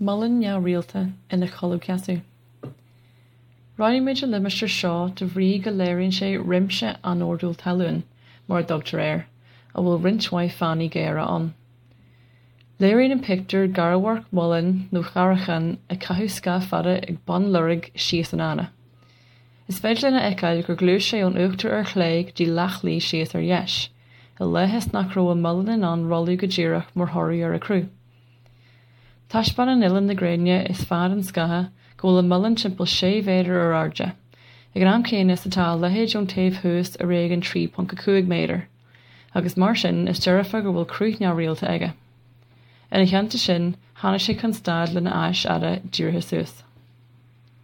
Muileann neamhrialta ina chodladh-sheasamh. Roghnaigh muid an limistéar seo de bhrí go léiríonn sé réimse anordúil talún, mar a dtugtar air, a bhfuil roinnt mhaith fánaí géara ann. Léiríonn an pictiúr garamharc muilinn nó caireachán ag caitheamh scáth fada ag bun loirg síos an fhána. Is féidir linn a fheiceáil gur ghluais sé ón uachtar ar chlé go dtí leathshlí síos ar dheis, i leith is nach raibh an muileann in ann rolladh go díreach mar thoradh ar a chruth. Taispeánann uillinn na gréine is fad an scátha go bhfuil an muileann timpeall 6 mhéadar ar airde, ag an am céanna is atá a leithead ón taobh thuas ar éigean 3.5 méadar, agus mar sin is dearfa go bhfuil cruth neamhrialta aige. Ina theannta sin, tháinig sé chun stad lena ais fhada dírithe suas.